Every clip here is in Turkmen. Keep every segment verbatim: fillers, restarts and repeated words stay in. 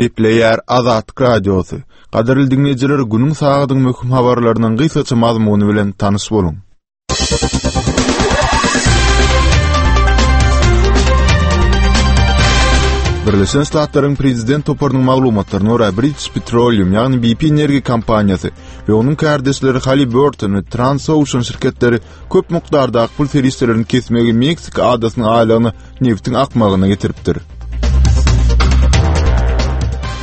Gepleýär Azatlyk Radiosy. Gadyrly diňleýjiler, günüň sagadyň möhüm habarlarynyň gysgaça mazmuny bilen tanyş boluň. Birleşen Ştatlaryň prezident toparynyň maglumatlaryna görä, British Petroleum, ýagny B P energiýa kompaniýasy we onuň kärdeşleri Halliburton we Transocean şirketleri köp mukdardaky pul serişdelerini kesmegi Meksika adasynyň aýlagyna nebitiň akmagyna getiripdir.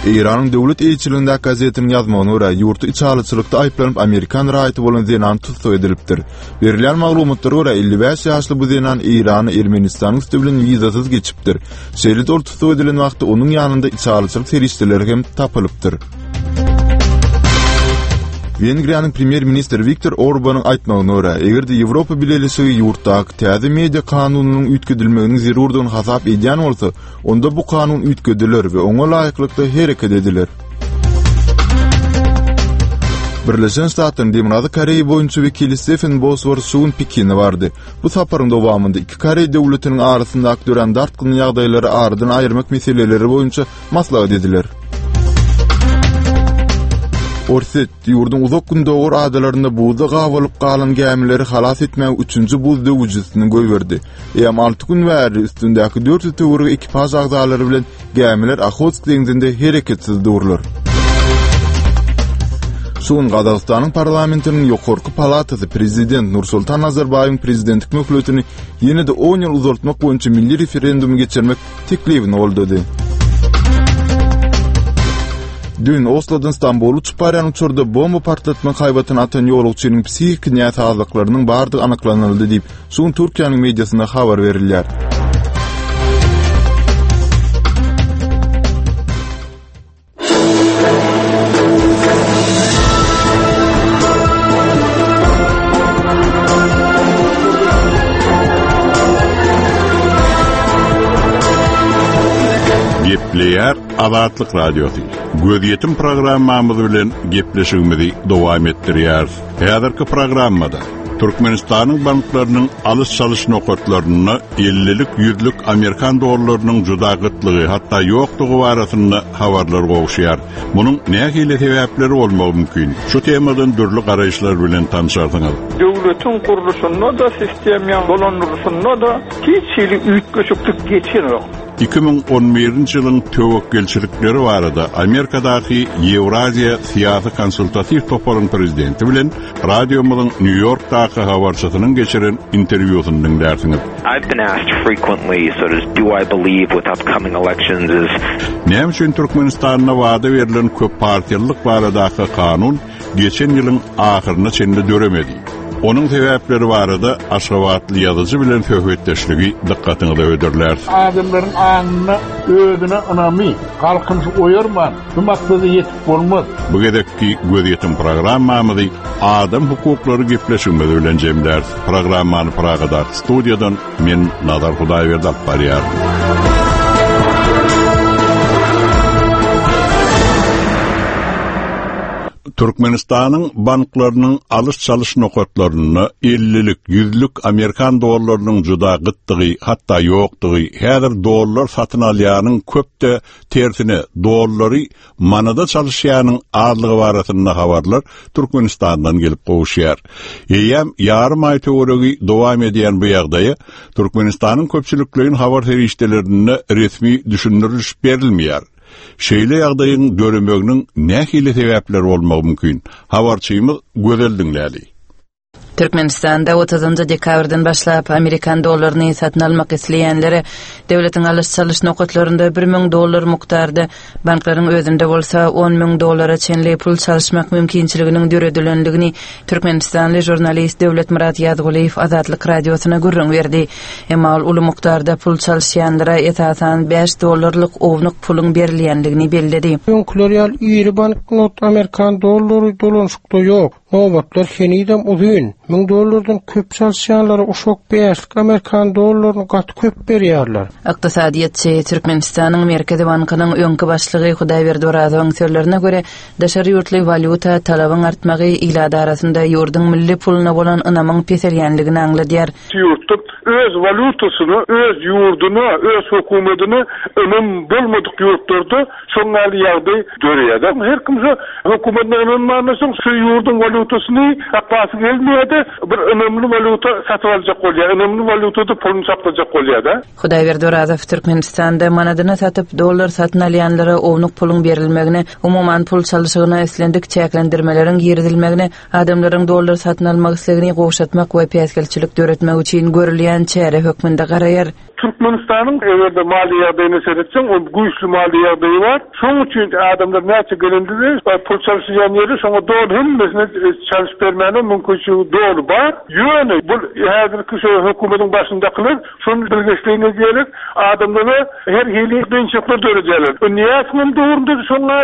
Eýranyň döwlet eýeçiligindäki gazetiniň ýazmagyna görä, ýurtda içalyçylykda aýyplanyp amerikan raýaty bolan zenan tussag edilipdir. Berilýän maglumatlara görä, elli bäş ýaşly bu zenan Eýrana Ermenistanyň üsti bilen wizasyz geçipdir. Şeýle-de ol tussag edilen wagtda onuň ýanynda içalyçylyk serişdeleri hem tapylypdyr. Wengriýanyň premýer-ministri Wiktor Orbanyň aýtmagyna görä, eger-de Ýewropa Bileleşigi ýurtdaky täze media kanunynyň üýtgedilmeginiň zerurdygyny hasap edýän bolsa, onda bu kanun üýtgediler we oňa laýyklykda hereket ediler. Birleşen Ştatlaryň Demirgazyk Koreýa boýunça wekili Stephen Bosworth şu gün Pekine bardy. Bu saparyň dowamynda iki Koreý döwletiniň arasyndaky dörän dartgynly ýagdaýlary aradan aýyrmak meseleleri boýunça maslahat ediler. Orsýet ýurduň uzak gündogar adalarynda buzda gabalyp galan gämileri halas etmäge üçünji buz döwüjisini goýberdi. Eýýäm alty gün bäri üstündäki dört ýüz töweregi ekipaž agzalary bilen gämiler Ohotsk deňzinde hereketsiz durlar. Şu gün Gazagystanyň parlamentiniň ýokarky palatasy prezident Nursultan Nazarbaýewiň prezidentlik möhletini ýene-de on ýyl uzaltmak boýunça milli referendumy geçirmek teklibini goldady. Dün Oslodan Stambula uçup barýan uçarda bomba partlatmak haýbatyny atan ýolagçynyň psihiki näsazlyklarynyň bardygy anyklanyldy diýip, şu gün Türkiýäniň mediasynda habar berilýär. Gepleýär Azatlyk Radiosy. Gözýetim programmamyz bilen gepleşigimizi dowam etdirýäris. Häzirki programmada Türkmenistanyň banklarynyň alyş-çalyş nokatlarynda ellilik, ýüzlük Amerikan dollarynyň juda gytlygy, hatda ýokdugy barasynda habarlar gowuşýar. Munuň nähili sebäpleri bolmagy mümkin? Şu temadan dürli garaýyşlar bilen tanışarsyňyz. Döwletiň gurluşynda da, sistemýa dolandyrylşynda da hiç hili üýtgeşiklik geçenok. iki müň on birinji ýylyň töwekgelçilikleri barada Amerikadaky Ýewraziýa syýasy konsultatiw toparyň prezidenti bilen radiomyzyň Nýu-Ýorkdaky habarçysynyň geçiren interwýusyny diňlärsiňiz. I've been asked frequently, sort of, do I believe with upcoming elections is Näme üçin Türkmenistanda wada berlen köp partiýalylyk baradaky kanun geçen ýylyň ahyryna çenli döremedi? Onuň sebäpleri barada Aşgabatly ýazyjy bilen söhbetdeşligi dykgatyňyza hödürläris. Adamlaryň aňyna özüne ynamy, halkyny oýarman, bu maksada ýetip bolmaz. Bu gezekki gözýetim programmamyzy adam hukuklary gepleşigimiz bilen jemläris. Programmany Pragadaky studiýadan men Nazar Hudaýberdi alyp barýaryn. Türkmenistanyň banklarynyň alyş-çalyş nokatlarynda ellilik, ýüzlük Amerikan dollarynyň juda gytdygy, hatda ýokdugy, häzir dollar satyn alýanyň köpde tersine dollary manada çalyşýanyň azlygy barasynda habarlar Türkmenistandan gelip gowuşýar. Eýýäm ýarym aý töweregi dowam edýän bu ýagdaýa Türkmenistanyň köpçülikleýin habar serişdelerinde resmi düşündiriş berilmeýär. Şeýle ýagdaýyň döremeginiň nähili sebäpleri bolmagy mümkin? Habarçymyz Gözel diňläli. Türkmenistanda otuzynjy dekabrdan başlap Amerikan dollaryny satyn almak isleýänlere döwletiň alyş-çalyş nokatlarynda bir müň dollar mukdarda, banklaryň özünde bolsa on müň dollara çenli pul çalyşmak mümkinçiliginiň döredilendigini Türkmenistanly žurnalist Döwletmyrat Ýazgulyýew Azatlyk radiosyna gürrüň berdi. Emma ol uly mukdarda pul çalyşýanlara esasan bäş dollarlyk ownuk puluň berilýändigini belledi. Öňküler ýaly iri banknot Amerikan dollary dolanşykda ýok. Nobatlar henizem uzyn. Müň dollardan köp çalyşýanlara uşak bäşlik Amerikan dollaryny gaty köp berýärler. Ykdysadyýetçi Türkmenistanyň Merkezi bankynyň öňki başlygy Hudaýberdi Orazowyň sözlerine görä, daşary ýurtly walýuta talabyň artmagy ilat arasynda ýurduň milli puluna bolan ynamyň peselýänligini aňladýar. Ýurtda öz walýutasyna, öz ýurduna, öz hökümetine ynam bolmadyk ýurtlarda şoňňaly ýagdaý döreýär. Her kim şu hökümetine ynanmandan soň şu ýurduň walýutasyny saklasy gelmeýär-de, bir ynamly walýuta satyp aljak bolýar, ynamly walýutada puluny saklajak bolýar-da. Hudaýberdi Orazow Türkmenistanda manadyny satyp dollar satyn alýanlara ownuk puluň berilmegine, umuman pul çalyşygyna islendik çäklendirmeleriň girizilmegine, adamlaryň dollar satyn almak islegini gowşatmak we päsgelçilik döretmek üçin görülýän çäre hökmünde garaýar. Türkmenistanyň eger-de maliýe ýagdaýyna seretseň, ol güýçli maliýe ýagdaýy bar. Şonuň üçin adamlar näçe gelende pul çalyşýan ýeri şoňa doly hemmesine çalyşyp bermäne mümkinçiligi doly bar. Ýöne bu häzirki şu hökümetiň başyndakylar şonu bilgeşleýin edýärler. Adamlara her hili kynçylyklar döredýärler. Niýetiniň döwründe şoňa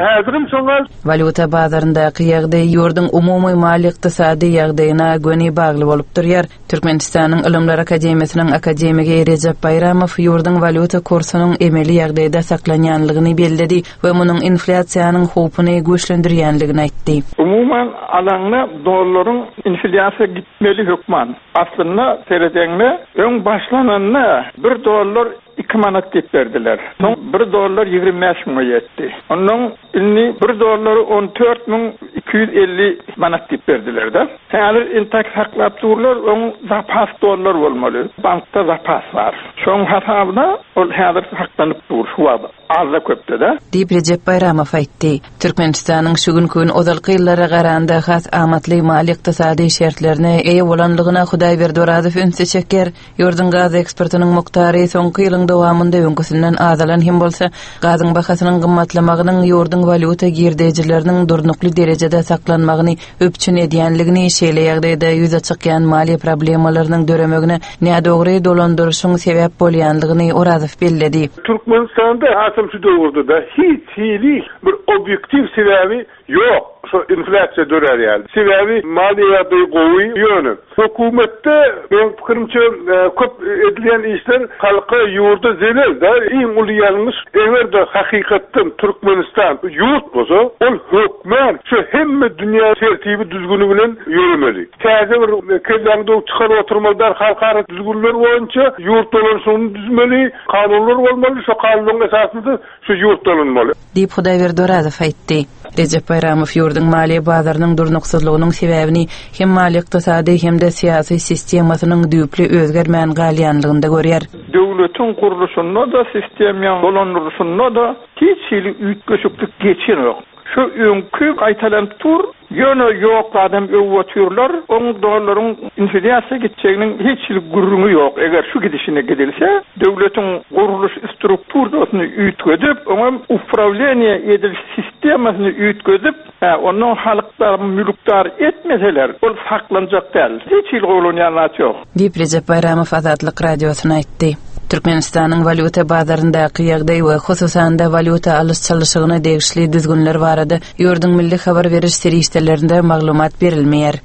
häzirim şoňa Walýuta bazaryndaky ýagdaý ýurduň umumy maliýe-ykdysady ýagdaýyna göni bagly bolup durýar. Türkmenistanyň Ylymlar Akademiýasynyň akademigi Rejep Baýramow ýurduň walýuta kursunyň emeli ýagdaýda saklanýanlygyny belledi we munuň inflýasiýanyň howpuny güýçlendirýänligini aýtdy. Umuman alanda dollaryň inflýasiýa gitmeli hökman. Aslynda seredeňde öň başlananda bir dollar iki manat diýip berdiler. Soň bir dollar ýigrimi bäş müňe ýetdi. Ondan indi bir dollary on dört müň iki ýüz elli manat diýip berdiler-de. Häzir intak saklap durlar, oň zapas dollar bolmaly. Bankda zapas bar. Şoň hasabyna ol häzir saklanyp dur şu wagt. Azda köpde-de. Diýip Rejep Baýramow aýtdy. Türkmenistanyň şu günki gün ozalky ýyllara garanda has amatly maliýe-ykdysady şertlerine eýe bolanlygyna Hudaýberdi Orazow ünsi çekýär. Ýurduň gaz eksportynyň mukdary soňky ýylyň dowamynda öňküsinden azalan hem bolsa, gazyň bahasynyň gymmatlamagynyň ýurduň walýuta girdejileriniň durnukly derejede saklanmagyny üpjün edýänligini, şeýle ýagdaýda ýüze çykýan maliýe problemalarynyň döremegine nädogry dolandyryşyň sebäp bolýanlygyny Orazow belledi. Türkmenistanda hasam şu döwürde de hiç hili bir obýektiw sebäbi ýok. Şu inflýasiýa dörer ýaly. Sebäbi maliýe ýagdaýy gowy ýöne. Hökümetde meň pikirimçe, e, köp edilýän işler halka ýurda zelel da iň uly ýalňyş eger-de hakykatdan Türkmenistan ýurt bolsa, ol hökmän şu hemme dünýä tertibi düzgüni bilen ýöremeli. Täze bir kelläňde çykaryp oturmaly halkara düzgünler boýunça ýurt dolanşygyny düzmeli, kanunlar bolmaly, şu kanunlaryň esasynda şu ýurt dolanmaly. Diýip Hudaýberdi Orazow aýtdy. Rejep Baýramow ýurduň maliýe bazarynyň durnuksyzlygynyň sebäbini hem maliýe-ykdysady hem-de syýasy sistemasynyň düýpli özgermän galýanlygynda görýär. Döwletiň gurluşynda-da, sistemýaň dolandyryşynda-da hiç hili üýtgeşiklik geçenok. Şu öňki gaýtalanyp dur, ýöne ýok adam öwwetýärler, oň dollaryň inflýasiýa gitjeginiň hiç hili gürrüňi ýok. Eger şu gidişine gidilse, döwletiň gurluş strukturasyny üýtgedip, oňa upravleniýe edil sistemasyny üýtgedip, hä, ondan halklar mülkdar etmeseler, ol saklanjak däl. Hiç hili gowlanýan zat ýok. Diýip Rejep Baýramow Azatlyk Radiosyna aýtdy. Türkmenistanyň walýuta bazaryndaky ýagdaý we hususan-da walýuta alyş-çalyşygyna degişli düzgünler barada ýurduň milli habar beriş serişdelerinde maglumat berilmeýär.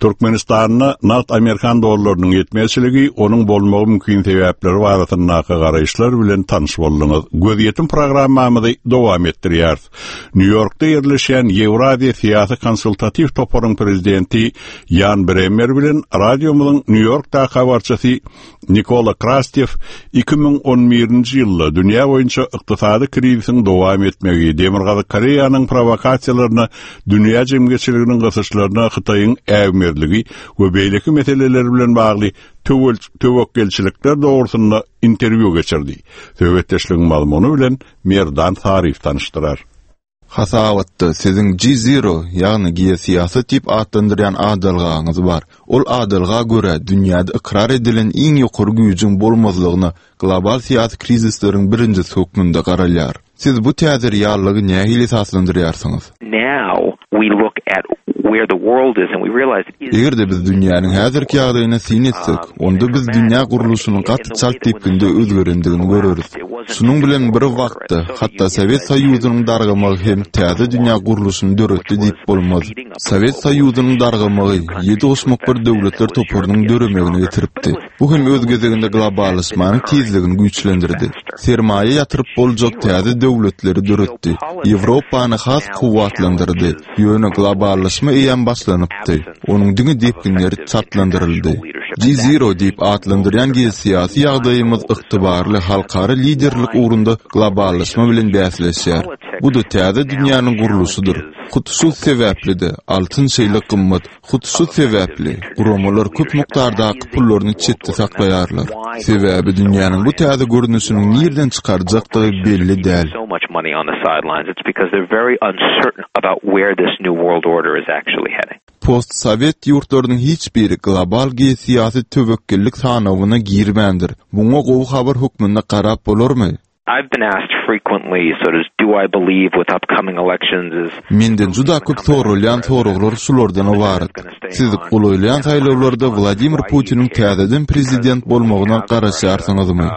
Türkmenistanda nagt Amerikan dollarynyň ýetmezçiligi, onuň bolmagy mümkin sebäpleri barasyndaky garaýyşlar bilen tanyş bolduňyz. Gözýetim programmamyzy dowam etdirýäris. Nýu-Ýorkda ýerleşýän Ýewraziýa syýasy konsultatiw toparyň prezidenti Ýan Bremer bilen radiomyzyň Nýu-Ýorkdaky habarçysy Nikola Krastew iki müň on birinji ýylda dünýä boýunça ykdysady krizisiň dowam etmegi, Demirgazyk Koreýanyň provokasiýalaryna, dünýä jemgyýetçiliginiň gysyşlaryna Hytaýyň äwmezligi we beýleki meseleler bilen bagly töwel-, töwekgelçilikler dogrusynda interwýu geçirdi. Söhbetdeşligiň mazmuny bilen Merdan Saryýew tanyşdyrar. Hasabatda siziň G zero, ýagny geosyýasat diýip atlandyrýan adalgaňyz bar. Ol adalga görä dünýäde ykrar edilen iň ýokary güýjüň bolmazlygyna global syýasy krizisleriň birinjisi hökmünde garalýar. Siz bu täze reallygy nähili esaslandyrýarsyňyz? Now we look at where the world is and we realize it is Eger-de biz dünýäniň häzirki ýagdaýyna syn etsek, onda biz dünýä gurluşynyň gaty çalt depginde özgerendigini göreris. Şunuň bilen bir wagtda, hatda Sowet Soýuzynyň dargamagy hem täze dünýä gurluşyny döretdi diýip bolmaz. Sowet Soýuzynyň dargamagy Ýedi goşmak bir döwletler toparynyň döremegine getiripdi. Bu hem öz gezeginde globallaşmanyň tizligini güýçlendirdi. Sermaýa ýatyryp boljak täze döwletleri döretdi. Ýewropany has kuwwatlandyrdy. Ýöne globallaşma eýýäm başlanypdy. Onuň diňe depginleri çaltlandyryldy. G-Zero diýip atlandyrýan geosyýasy ýagdaýymyz ygtybarly halkara liderlik ugrunda globallaşma bilen bäsleşýär. Bu-da täze dünýäniň gurluşydyr. Hut şu sebäpli-de altyn şeýle gymmat. Hut şu sebäpli guramalar köp mukdardaky pullaryny çetde saklaýarlar. Sebäbi dünýäniň bu täze görnüşiniň nirden çykarjakdygy belli däl. Postsowet ýurtlarynyň hiç biri global geosyýasy töwekgellik sanawyna girmändir. Muňa gowy habar hökmünde garap bolarmy? I've been asked frequently sort of do I believe with upcoming elections is Menden juda köp soralýan soraglar şulardan ybarat. Siz golaýlaýan saýlawlarda Wladimir Putiniň täzeden prezident bolmagyna garaşýarsyňyzmy?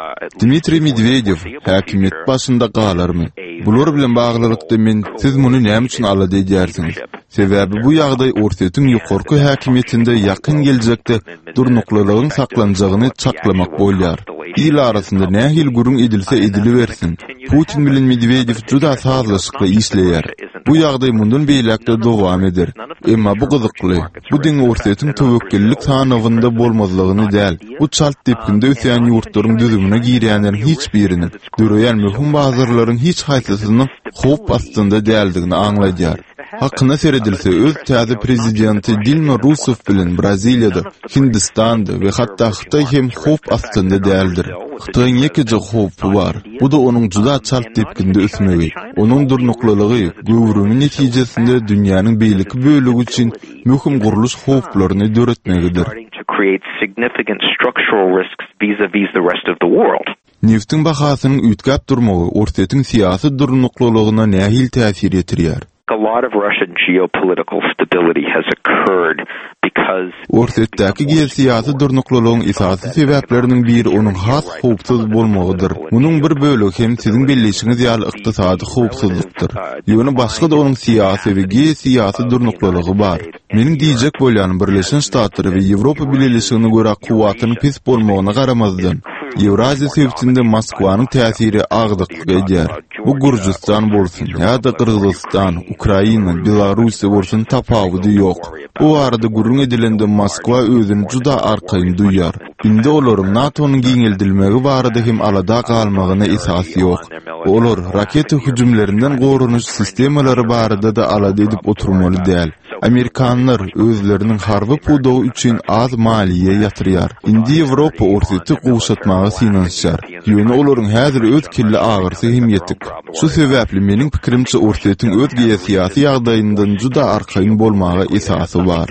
Dmitriý Medwedew häkimiýet başynda galarmy? Bular bilen baglylykda men siz muny näme üçin alada edýärsiňiz? Sebäbi bu ýagdaý Orsýetiň ýokarky häkimiýetinde ýakyn geljekde durnuklylygyň saklanjagyny çaklamak bolýar. Il arasynda nähili gürrüň edilse edilibersin, Putin bilen Medwedew juda sazlaşykly işleýär. Bu ýagdaý mundan beýläk-de dowam eder. Emma bu gyzykly. Bu diňe Orsýetiň töwekgellik sanawynda bolmazlygyny däl, bu çalt depginde ösýän ýurtlaryň düzümine girýänleriň hiç biriniň, döreýän möhüm bazarlaryň hiç haýsysynyň howp astynda däldigini aňladýar. Hakyna seredilse, öz täze prezidenti Dilma Russeff bilen Braziliýada, Hindistanda we hatda Hytaý hem howp astynda däldir. Hytaýyň ýekeje howpy bar, bu-da onuň juda çalt depginde ösmegi. Onuň durnuklylygy, göwrümi netijesinde dünýäniň beýleki bölegi üçin möhüm gurluş howplaryny döretmegidir. Neftiň bahasynyň üýtgäp durmagy Orsýetiň syýasy durnuklylygyna nähili täsir ýetirýär? Orsýetdäki geosyýasy durnuklylygyň esasy sebäpleriniň biri onuň has howpsuz bolmagydyr. Munuň bir bölegi hem siziň belleýşiňiz ýaly ykdysady howpsuzlykdyr. Ýöne başga-da onuň syýasy we geosyýasy durnuklylygy bar. Meniň diýjek bolýanym Birleşen Ştatlara we Ýewropa Bileleşigine görä kuwwatynyň pes bolmagyna garamazdan, Ýewraziýa sebitinde Moskwanyň täsiri agdyklyk edýär. Bu Gürjüstan bolsun ýa-da Gyrgyzystan, Ukraina, Belarussiýa bolsun tapawudy ýok. Bu barada gürrüň edilende Moskwa özüni juda arkaýyn duýýar. Indi olaryň NATO-nyň giňeldilmegi barada hem alada galmagyna esas ýok. Olar raketa hüjümlerinden goranyş sistemalary barada-da alada edip oturmaly däl. Amerikanlar özleriniň harby pudagy üçin az maliýe ýatyrýar. Indi Ýewropa Orsýeti gowşatmaga synanyşýar. Ýöne olaryň häzir öz kelle agyrysy hem ýetik. Şu sebäpli meniň pikirimçe Orsýetiň öz geosyýasy ýagdaýyndan juda arkaýyn bolmaga esasy bar.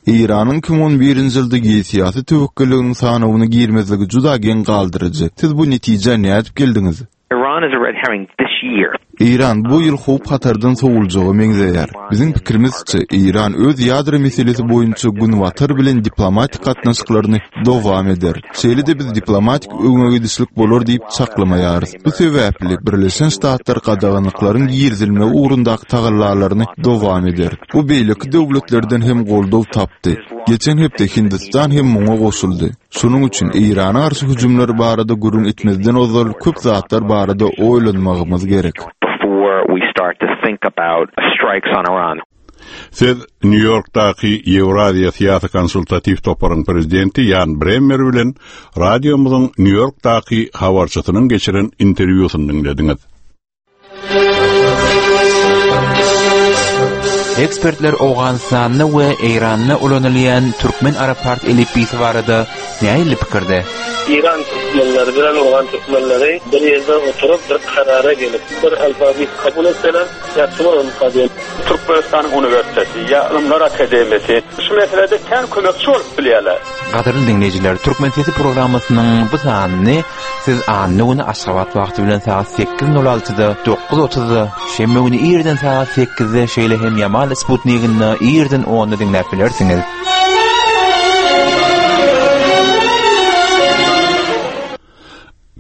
Eýranyň iki müň on birinji ýylda geosyýasy töwekgelliginiň sanawyna girmezligi juda geň galdyryjy. Siz bu netijä nädip geldiňiz? Iran is a red herring this year. Eýran bu ýyl howp-hatardan sowuljaga meňzeýär. Biziň pikirimizçe, Eýran öz ýadro meselesi boýunça Günbatar bilen diplomatik gatnaşyklaryny dowam eder. Şeýle-de biz diplomatik öňegidişlik bolar diýip çaklamaýarys. Bu sebäpli Birleşen Ştatlar gadaganlyklaryň girizilmegi ugrundaky tagallalaryny dowam eder. Bu beýleki döwletlerden hem goldaw tapdy. Geçen hepde Hindistan hem muňa goşuldy. Şonuň üçin Eýrana garşy hüjümler barada gürrüň etmezden ozal köp zatlar barada oýlanmagymyz gerek. Siz Nýu-Ýorkdaky Ýewraziýa syýasy konsultatiw toparyň prezidenti Ýan Bremmer bilen radiomyzyň Nýu-Ýorkdaky habarçysynyň geçiren interwýusyny diňlediňiz. Ekspertler Owganystanda we Eýranda ulanylýan türkmen-arap-pars elipbiýsi barada nähili pikirde? Eýran türkmenleri bilen owgan türkmenleri bir ýerde oturyp, bir karara gelip, bir alfabet kabul etseler, ýagşy bolarmyka diýen. Türkmenistanyň uniwersiteti ýa Ylymlar akademiýasy şu meselede kän kömekçi bolup bilýärler. Gadyrly diňleýjiler, Türkmen sesi programmasynyň bu sanyny siz anna güni Aşgabat wagty bilen sagat sekiz nol altyda, dokuz otuzda, şenbe güni irden sagat sekizde, şeýle hem Ýamal sputniginde irden onda diňläp bilersiňiz.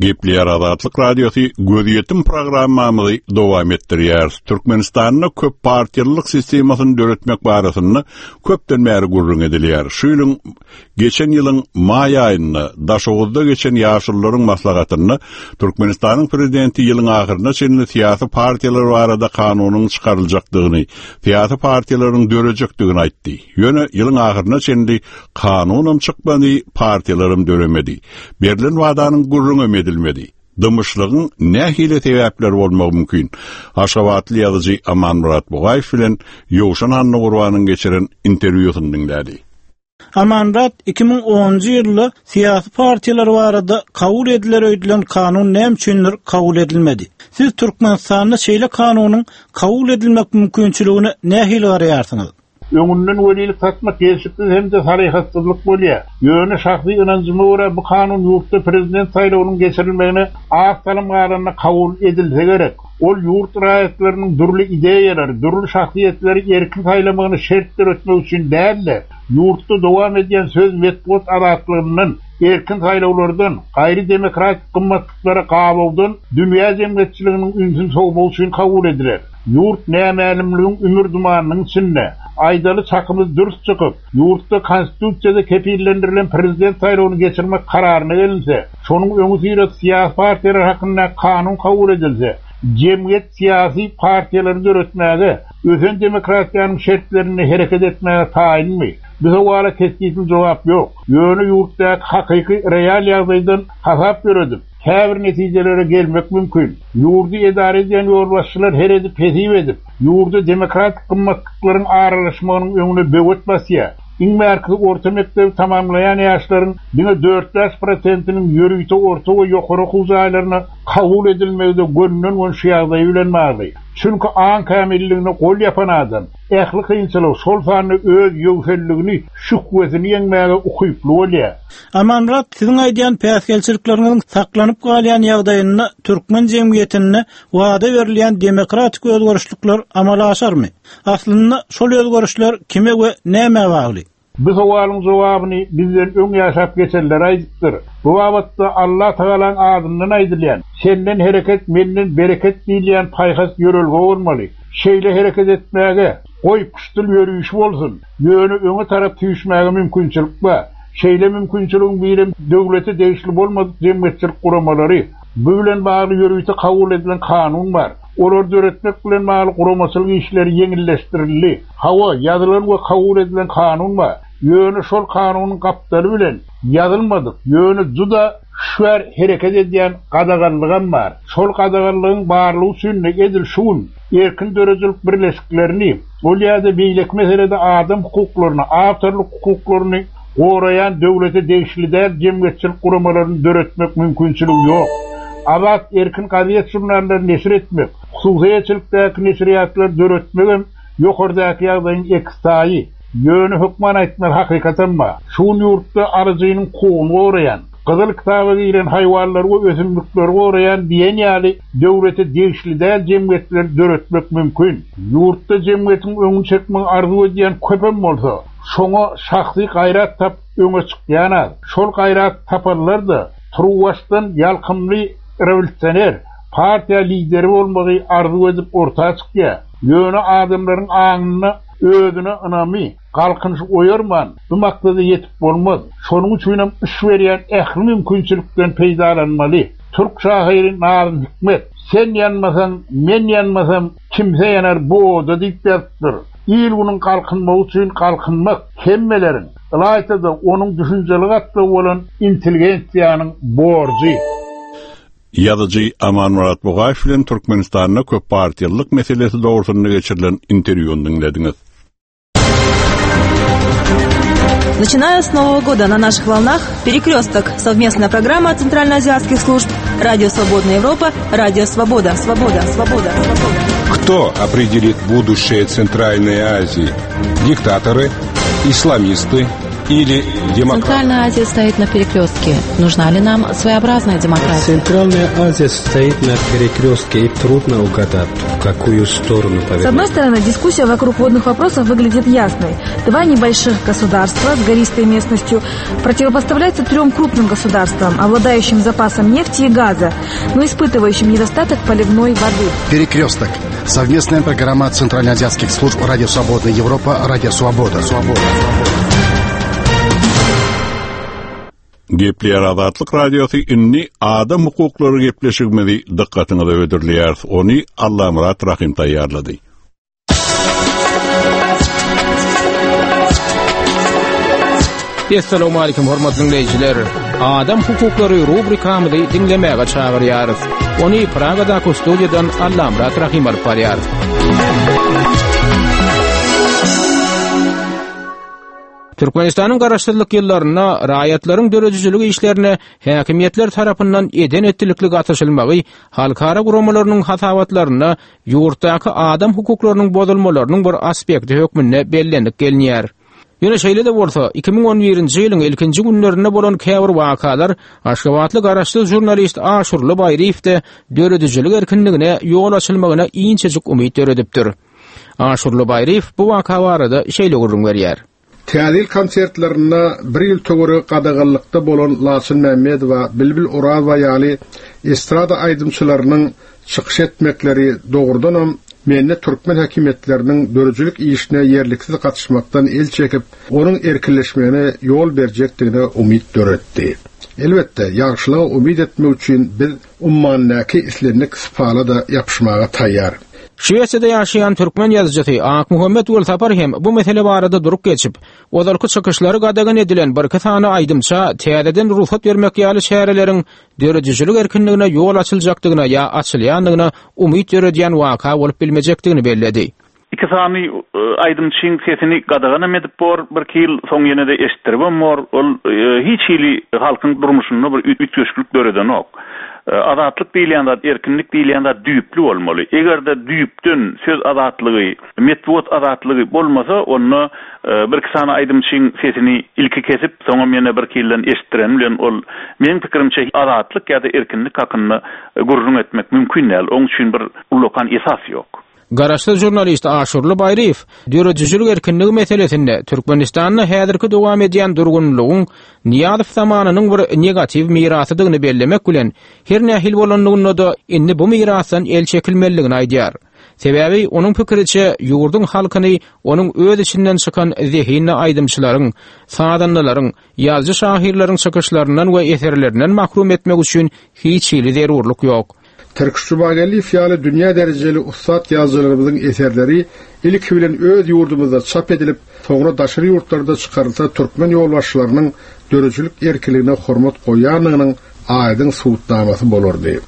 Gepleýär Azatlyk Radiosy gözýetim programmamyzy dowam etdirýär. Türkmenistanda köp partiýalylyk sistemasyny döretmek barasynda köpden bäri gürrüň edilýär. Şu ýylyň geçen ýylyň maý aýynda Daşoguzda geçen ýaşulularyň maslahatynda Türkmenistanyň prezidenti ýylyň ahyryna çenli syýasy partiýalar barada kanunyň çykaryljakdygyny, syýasy partiýalaryň dörejekdigini aýtdy. Ýöne ýylyň ahyryna çenli kanunam çykmady, partiýalaram döremedi. Berlen wadanyň gürrüňem edilmedi. Dymyşlygyň nähili sebäpleri bolmagy mümkin? Aşgabatly ýazyjy Amanmyrat Bugaýew bilen Ýowşan Annagurbanyň geçiren interwýusyny diňlädi. Amanmyrat iki müň onunjy ýylda syýasy partiýalar barada kabul ediler öýdülen kanun näme üçindir kabul edilmedi? Siz Türkmenistanda şeýle kanunyň kabul edilmek mümkinçiligine nähili garaýarsyňyz? Öňünden welilik satmak gelşiksiz hem-de salyhatsyzlyk bolýar. Ýöne şahsy ynanjyma görä bu kanun ýurtda prezident saýlawynyň geçirilmegine az salym galanda kabul edilse gerek. Ol ýurt raýatlarynyň dürli ideýalary, dürli şahsyýetleri erkin saýlamagyny şert döretmek üçin däl-de, ýurtda dowam edýän söz metbugat azatlygyndan, erkin saýlawlardan, gaýry demokratik gymmatlyklara gabawdan dünýä jemgyýetçiliginiň ünsüni sowmak üçin kabul ediler. Ýurt nämälimligiň ümür dumanynyň içinde, aýdaly çakymyz dürs çykyp, ýurtda konstitusiýada kepillendirilen prezident saýlawyny geçirmek kararyna gelinse, şonuň öňüsyrasy syýasy partiýalar hakynda kanun kabul edilse, jemgyýet syýasy partiýalary döretmäge, ösen demokratiýanyň şertlerinde hereket etmäge taýynmy? Bu sowala kesgitli jogap ýok. Ýöne ýurtdaky hakyky real ýagdaýdan hasap ýöredip, käbir netijelere gelmek mümkin. Ýurdy edara edýän ýolbaşçylar her edip hesip edip, ýurda demokratik gymmatlyklaryň aralaşmagynyň öňüne böwet basýar. Iň bärkisi orta mekdebi tamamlaýan ýaşlaryň diňe dört-bäş prosentiniň ýörite orta we ýokary okuw jaýlaryna kabul edilmegi-de gönden-gön şu ýagdaý bilen bagly. Çünki aň kämilligine gol ýapan adam ähli kynçylygy, şol sanda öz ýöwselligini, şühwesini ýeňmäge ukyply bolýar. Amanmyrat, siziň aýdýan päsgelçilikleriňiziň saklanyp galýan ýagdaýynda türkmen jemgyýetinde wada berilýän demokratik özgerişlikler amala aşarmy? Aslynda şol özgerişler kime we nämä bagly? Bu sowalyň jogabyny bizden öň ýaşap geçenler aýdypdyr. Bu babatda Allah Tagalaň adyndan aýdylýan, senden hereket, menden bereket diýilýän paýhas ýörelge bolmaly. Şeýle hereket etmäge, goý puştul ýörüşi bolsun, ýöne öňe tarap tüýüşmäge mümkinçilik bar. Şeýle mümkinçiligiň birem döwlete degişli bolmadyk jemgyýetçilik guramalary, bu bilen bagly ýörite kabul edilen kanun bar. Olar döretmek bilen bagly guramaçylyk işleri ýeňilleşdirildi. Hawa, ýazylan we kabul edilen kanun bar. Ýöne şol kanunyň gapdaly bilen ýazylmadyk, ýöne juda şwer hereket edýän gadaganlygam bar. Şol gadaganlygyň barlygy üçin edil şu gün erkin döredijilik birleşiklerini, ol ýa-da beýleki meselede adam hukuklaryny, awtorlyk hukuklaryny goraýan döwlete degişli däl jemgyýetçilik guramalaryny döretmek mümkinçiligi ýok. Azat erkin gazet žurnallary neşir etmek, hususyýetçilikdäki neşirýatlary döretmegem ýokardaky ýagdaýyň ekstaýy. Ýöne hökman aýtmaly hakykatam bar. Şu gün ýurtda alyjynyň hukugyny goraýan, gyzyl kitaba giren haýwanlary we ösümlikleri goraýan diýen ýaly döwlete degişli däl jemgyýetleri döretmek mümkin. Ýurtda jemgyýetiň öňüni çekmegi arzuw edýän köpem bolsa, şoňa şahsy gaýrat tap öňe çykýan az. Şol gaýrat tapanlar-da turuwbaşdan ýalkymly rewolýusioner, partiýa lideri bolmagy arzuw edip orta çykýar. Ýöne adamlaryň aňynda özüne ynamy, galkynyş oýarman, bu maksada ýetip bolmaz. Şonuň üçinem iş berýän ähli mümkinçilikden peýdalanmaly. Türk şahyry Nazım Hikmet, sen ýanmasaň, men ýanmasam, kimse ýanar bu oda diýip ýazypdyr. Il günüň galkynmagy üçin galkynmak hemmeleriň, ylaýta-da onuň düşünjeli gatlagy bolan intelligensiýanyň borjy. Ýazyjy Amanmyrat Bugaýew bilen Türkmenistanda köp partiýalylyk meselesi dogrusynda geçirilen interwýuny diňlediňiz. Начиная с Нового года на наших волнах «Перекресток» – совместная программа Центральноазиатских служб, Радио Свободная Европа, Радио Свобода, Свобода, Свобода, Свобода. Кто определит будущее Центральной Азии? Диктаторы, исламисты, Или демократия. Центральная Азия стоит на перекрестке. Нужна ли нам своеобразная демократия? Центральная Азия стоит на перекрестке, и трудно угадать, в какую сторону повернуть. С одной стороны, дискуссия вокруг водных вопросов выглядит ясной. Два небольших государства с гористой местностью противопоставляются трем крупным государствам, обладающим запасом нефти и газа, но испытывающим недостаток поливной воды. Перекресток. Совместная программа Центральноазиатских служб «Радио Свободная Европа», «Радио Свобода». Свобода. Gepleýär Azatlyk Radiosy indi adam hukuklary gepleşigimizi dykgatyňyza hödürleýär. Ony Allamyrat Rahim taýýarlady. Esselamu aleýkum hormatly dinleýjiler. Adam hukuklary rubrikamyzy diňlemäge çagyrýarys. Ony Pragadaky studiýadan Allamyrat Rahim alyp barýar. Türkmenistanyň garaşsyzlyk ýyllarynda raýatlaryň döredijilik işlerine häkimiýetler tarapyndan eden etdilikli gatyşylmagy halkara guramalarynyň hasabatlarynda ýurtdaky adam hukuklarynyň bozulmalarynyň bir aspekti hökmünde bellenip gelinýär. Ýöne şeýle de bolsa iki müň on birinji ýylyň ilkinji günlerinde bolan käbir wakalar Aşgabatly garaşsyz žurnalist Aşurly Baýryýewde döredijilik erkinligine ýol açylmagyna inçejik umyt döredipdir. Aşurly Baýryýew bu waka barada şeýle gürrüň berýär. Täzil konsertlerinde bir ýyl töweregi gadaganlykda bolan Laçyn Mämmedowa, Bilbil Orazowa ýaly estrada aýdymçylarynyň çykyş etmekleri dogrudanam mende türkmen häkimiýetleriniň döredijilik işine ýerliksiz gatyşmakdan el çekip, onuň erkinleşmegine ýol berjekdigine umyt döretdi. Elbetde, ýagşylyga umyt etmek üçin biz ummandäki islendik sypala da ýapyşmaga taýýar. Şwesiýada ýaşaýan türkmen ýazyjysy Akmuhammet Welsapar hem bu mesele barada durup geçip, ozalky çykyşlary gadagan edilen bir iki sany aýdymça täzeden ruhsat bermek ýaly çäreleriň döredijilik erkinligine ýol açyljakdygyna ýa açylýandygyna umyt döredýän waka bolup bilmejekdigini belledi. Iki sany aýdymçyň sesini gadagan edip bor, bir iki ýyl soň ýene de eşitdirip bor. Ol hiç hili halkyň durmuşynda bir üýtgeşiklik döredenok. Azatlyk diýilýän zat, erkinlik diýilýän zat düýpli bolmaly. Eger-de düýpden söz azatlygy, metbugat azatlygy bolmasa, onda bir iki sany aýdymçyň sesini ilki kesip, soňam ýene bir iki ýyldan eşitdiren bilen ol meň pikirimçe azatlyk ýa-da erkinlik hakynda gürrüň etmek mümkin däl. Onuň üçin bir ullakan esas ýok. Garaşsyz žurnalist Aşurly Baýryýew döredijilik erkinligi meselesinde Türkmenistanda häzirki dowam edýän durgunlygyň Nyýazow zamanynyň bir negatiw mirasydygyny bellemek bilen her nähili bolanlygynda da indi bu mirasdan el çekilmelidigini aýdýar. Sebäbi onuň pikiriçe ýurduň halkyny onuň öz içinden çykan zehinli aýdymçylaryň, sazandalaryň, ýazyjy şahyrlaryň çykyşlaryndan we eserlerinden mahrum etmek üçin hiç hili zerurlyk ýok. Tirkiş Jumageldiýew ýaly dünýä derejeli ussat ýazyjylarymyzyň eserleri ilki bilen öz ýurdumyzda çap edilip, soňra daşary ýurtlarda çykarylsa türkmen ýolbaşçylarynyň döredijilik erkinligine hormat goýýandygynyň aýdyň subutnamasy bolardy.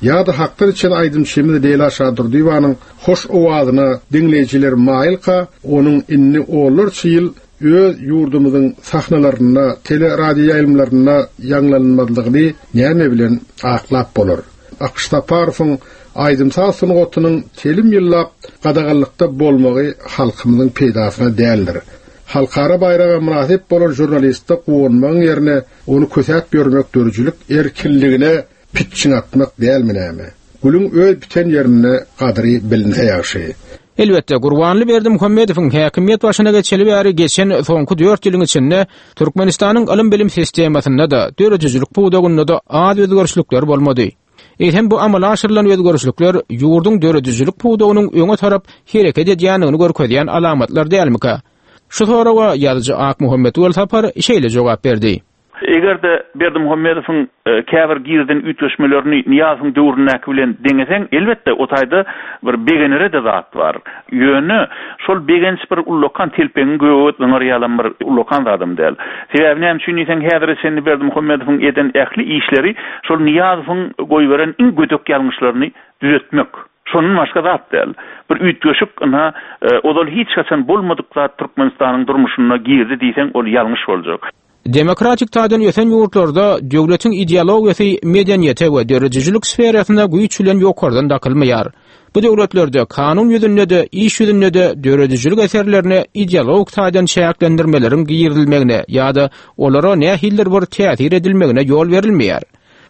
Ýa-da hakdan içen aýdymçymyz Leýla Şadurdyýewanyň hoş owazyna diňleýjiler maýylka, onuň indi onlarça ýyl öz ýurdumyzyň sahnalarynda, teleradio ýaýlymlarynda ýaňlanmazlygyny näme bilen aklap bolar? Akyş Saparowyň aýdym-saz sungatynyň telim ýyllap gadaganlykda bolmagy halkymyzyň peýdasyna däldir. Halkara baýraga mynasyp bolan žurnalistde guwanmagyň ýerine ony kösäp ýörmek döredijilik erkinligine pitçiň atmak dälmi näme? Gülüň öz biten ýerinde gadyry bilinse ýagşy. Elbetde, Gurbanly Berdimuhamedowyň häkimiýet başyna geçeli bäri geçen soňky dört ýylyň içinde Türkmenistanyň ylym-bilim sistemasynda da, döredijilik pudagynda da az özgerişlikler bolmady. Eýsem bu amala aşyrylan özgerişlikler ýurduň döredijilik pudagynyň öňe tarap hereket edýändigini görkezýän alamatlar dälmika? Şu soraga ýazyjy Akmuhammet Welsapar şeýle jogap berdi. Eger-de Berdimuhamedowyň käbir girden üýtgeşmelerini Nyýazowyň döwründäki bilen deňeseň, elbetde o taýda bir begenere de zat bar. Ýöne şol begenç bir ullakan telpegiň göge zyňar ýalan bir ullakan zadam däl. Sebäbi näme üçin diýseň, häzir çenli Berdimuhamedowyň eden ähli işleri şol Nyýazowyň goýberen iň gödek ýalňyşlaryny düzetmek. Şonun başga zat däl. Bir üýtgeşik ynha, ozal hiç haçan bolmadyk zat Türkmenistanyň durmuşyna girdi diýseň, ol ýalňyş boljak. Demokratik taýdan ösen ýurtlarda döwletiň ideologiýasy medeniýete we döredijilik sferasyna güýç bilen ýokardan dakylmaýar. Bu döwletlerde kanun ýüzünde-de, iş ýüzünde-de döredijilik eserlerine ideologik taýdan çäklendirmeleriň girizilmegine ýa-da olara nähilidir bir täsir edilmegine ýol berilmeýär.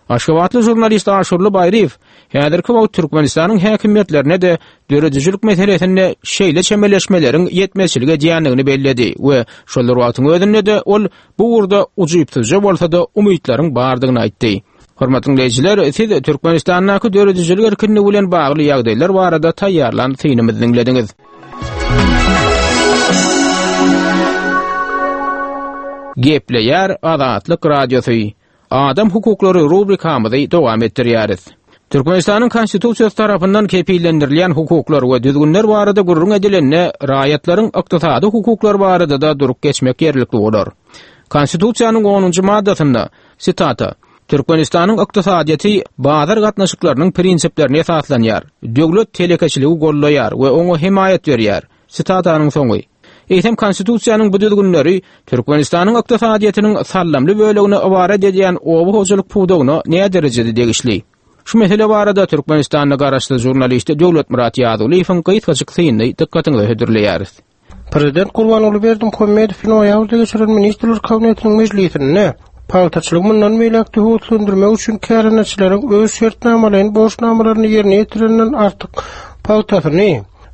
Aşgabatly žurnalist Aşurly Baýryýew häzirki wagt Türkmenistanyň häkimiýetlerine-de döredijilik meselesinde şeýle çemeleşmeleriň ýetmezçilik edýändigini belledi we şol bir wagtyň özünde-de ol bu ugurda ujypsyzja bolsa-da umytlaryň bardygyny aýtdy. Hormatly dinleýjiler, siz Türkmenistandaky döredijilik erkinligi bilen bagly ýagdaýlar barada taýýarlan synymyzy diňlediňiz. Gepleýär Azatlyk Radiosy. Adam hukuklary rubrikamyzy dowam etdirýäris. Türkmenistanyň Konstitusiýasy tarapyndan kepillendirilýän hukuklar we düzgünler barada gürrüň edilende, raýatlaryň ykdysady hukuklary barada-da durup geçmek ýerlikli bolar. Konstitusiýanyň onunjy maddasynda, sitata, Türkmenistanyň ykdysadyýeti bazar gatnaşyklarynyň prinsiplerine esaslanýar. Döwlet telekeçiligi goldaýar we oňa hemaýat berýär. Sitatanyň soňy. Eýsem Konstitusiýanyň bu düzgünleri Türkmenistanyň ykdysadyýetiniň sallamly bölegine ybarat edýän oba hojalyk pudagyna näderejede degişli? Şu mesele barada Türkmenistanda garaşsyz žurnalist Döwletmyrat Ýazulyýewiň gysgajyk synyny dykgatyňyza hödürleýäris. Prezident Gurbanguly Berdimuhamedow noýabrda geçirilen Ministrler Kabinetiniň mejlisinde pagtaçylygy mundan beýläk-de höweslendirmek üçin kärendeçileriň öz şertnamalaýyn borçnamalaryny ýerine ýetirenden artyk pagtasyny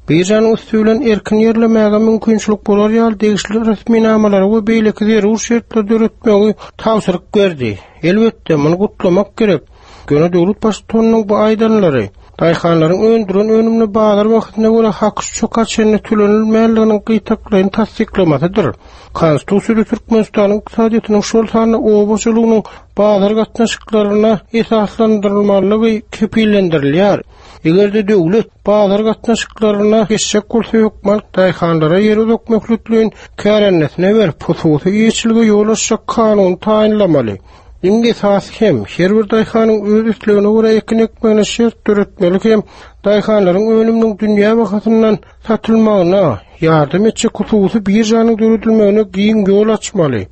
biržanyň üsti bilen erkin ýerlemäge mümkinçilik bolar ýaly degişli resminamalary we beýleki zerur şertleri döretmegi tabşyryk berdi. Elbetde, muny gutlamak gerek. Ýöne döwlet baştutanynyň bu aýdanlary daýhanlaryň öndüren önümine bazar bahasyna görä haky-şoka çenli tölenilmänliginiň gytaklaýyn tassyklamasydyr. Konstitusiýada Türkmenistanyň ykdysadyýetiniň şol sanda oba hojalygynyň bazar gatnaşyklaryna esaslandyrylmalygy kepillendirilýär. Eger-de döwlet bazar gatnaşyklaryna geçjek bolsa hökman daýhanlara ýer uzak möhletleýin kärendesine berip, hususy eýeçilige ýol açjak kanuny taýynlamaly. Iň esasy hem her bir daýhanyň öz islegine görä ekin ekmegine şert döretmeli hem daýhanlaryň önüminiň dünýä bahasyndan satylmagyna ýardam etjek hususy biržanyň döredilmegine giň ýol açmaly.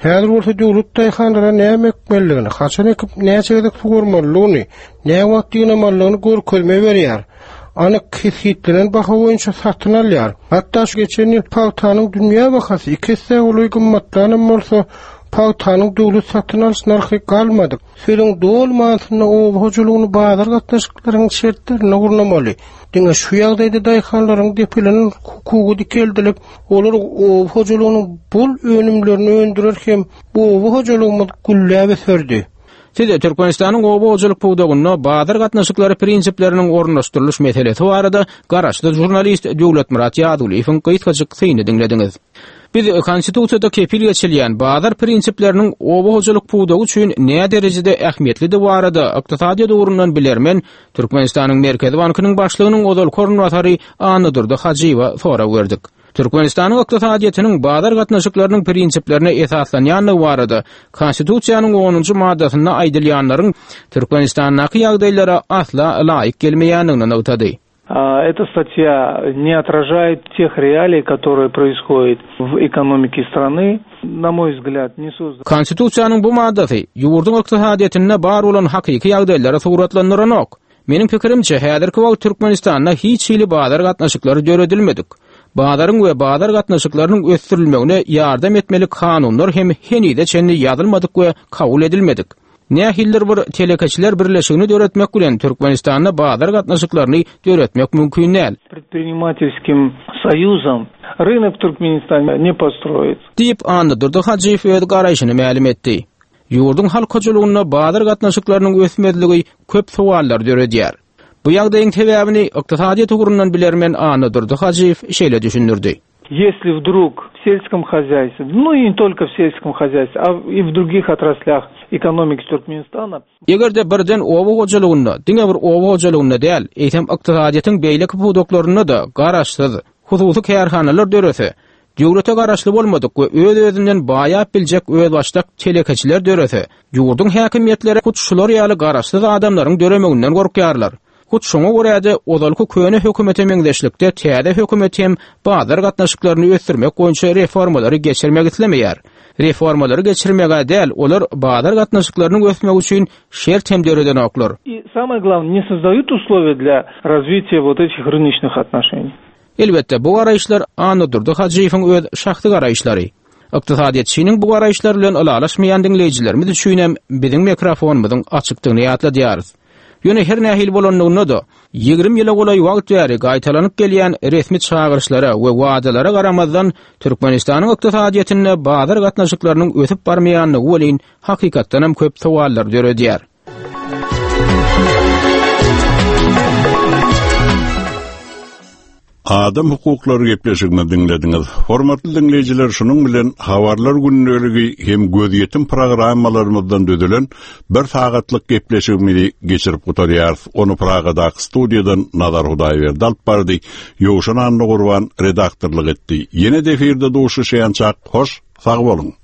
Häzir bolsa döwlet daýhanlara näme ekmelidigini, haçan ekip näçe gezek suwarmalydygyny, näme wagt ýygnamalydygyny görkezme berýär. Anyk kesgitlenen baha boýunça satyn alýar. Hatda şu geçen ýyl pagtanyň dünýä bahasy iki esse golaý gymmatlanam bolsa, pagtanyň döwlet satyn alyş nyrhy galmady. Sözüň doly manysynda oba hojalygyny bazar gatnaşyklarynyň şertlerinde gurnamaly. Diňe şu ýagdaýda daýhanlaryň depelenen hukugy dikeldilip, olar oba hojalygynyň bol önümlerini öndürer hem oba hojalygymyz gülläp öserdi. Siz Türkmenistanyň oba hojalyk pudagynda bazar gatnaşyklary prinsipleriniň ornaşdyrylyş meselesi barada garaşsyz žurnalist Döwletmyrat Ýazulyýewiň gysgajyk synyny diňlediňiz. Biz Konstitusiýada kepil geçilýän bazar prinsipleriniň oba hojalyk pudagy üçin näderejede ähmiýetlidigi barada ykdysadyýet ugrundan bilermen Türkmenistanyň Merkezi bankynyň başlygynyň ozalky orunbasary Annadurdy Hajyýewe sorag berdik. Türkmenistanyň ykdysadyýetiniň bazar gatnaşyklarynyň prinsiplerine esaslanýandygy barada Konstitusiýanyň onunjy maddasynda aýdylýanlaryň Türkmenistandaky ýagdaýlara asla laýyk gelmeýändigini nygtady. Эта статья не отражает тех реалий, которые происходят в экономике страны. На мой взгляд, не создан. Konstitusiýanyň bu maddasy ýurduň ykdysadyýetinde bar bolan hakyky ýagdaýlary suratlandyranok. Meniň pikirimçe, häzirki wagt Türkmenistanda hiç hili bazar gatnaşyklary döredilmedik. Bazaryň we bazar gatnaşyklarynyň ösdürilmegine ýardam etmeli kanunlar hem henize çenli ýazylmadyk we kabul edilmedik. Nähilidir bir telekeçiler birleşigini döretmek bilen Türkmenistanda bazar gatnaşyklaryny döretmek mümkin däl. Предпринимательским союзом рынок в Туркменистане не построить. Diýip Annadurdy Hajyýew öz garaýşyny mälim etdi. Ýurduň halk hojalygynda bazar gatnaşyklarynyň ösmezligi köp sowallar döredýär. Bu ýagdaýyň sebäbini ykdysadyýet ugrundan bilermen Annadurdy Hajyýew şeýle düşündirdi. Если вдруг в сельском хозяйстве, ну и не только в сельском хозяйстве, а и в других отраслях экономики Туркменистана. Eger-de birden oba hojalygynda, diňe bir oba hojalygynda däl, eýsem ykdysadyýetiň beýleki pudaklarynda-da garaşsyz, hususy kärhanalar dörese, döwlete garaşly bolmadyk we öz-özünden baýap biljek özbaşdak telekeçiler dörese, ýurduň häkimiýetleri hut şular ýaly garaşsyz adamlaryň döremeginden gorkýarlar. Hut şoňa görä-de ozalky köne hökümete meňzeşlikde täze hökümet hem bazar gatnaşyklaryny ösdürmek boýunça reformalary geçirmek islemeýär. Reformalary geçirmeg-ä däl, olar bazar gatnaşyklarynyň ösmegi üçin şert hem döredenoklar. И самое главное, не создают условия для развития вот этих рыночных отношений. Elbetde, bu garaýyşlar Annadurdy Hajyýewiň öz şahsy garaýyşlary. Ykdysadyýetçiniň bu garaýyşlary bilen ylalaşmaýan diňleýjilerimiz üçinem biziň mikrofonymyzyň açykdygyny ýatladýarys. Ýöne her nähili bolanlygynda-da, ýigrimi ýyla golaý wagt bäri gaýtalanyp gelýän resmi çagyryşlara we wadalara garamazdan Türkmenistanyň ykdysadyýetinde bazar gatnaşyklarynyň ösüp barmaýanlygy welin hakykatdanam köp sowallar döredýär. Adam hukuklary gepleşigini diňlediňiz. Hormatly diňleýjiler, şunuň bilen habarlar gündeligi hem gözýetim programmalarymyzdan düzülen bir sagatlyk gepleşigimizi geçirip gutarýarys. Ony Pragadaky studiýadan Nazar Hudaýberdi alyp bardy. Ýowşan Annagurban redaktorlyk etdi. Ýene de efirde duşuşýançak hoş, sag boluň.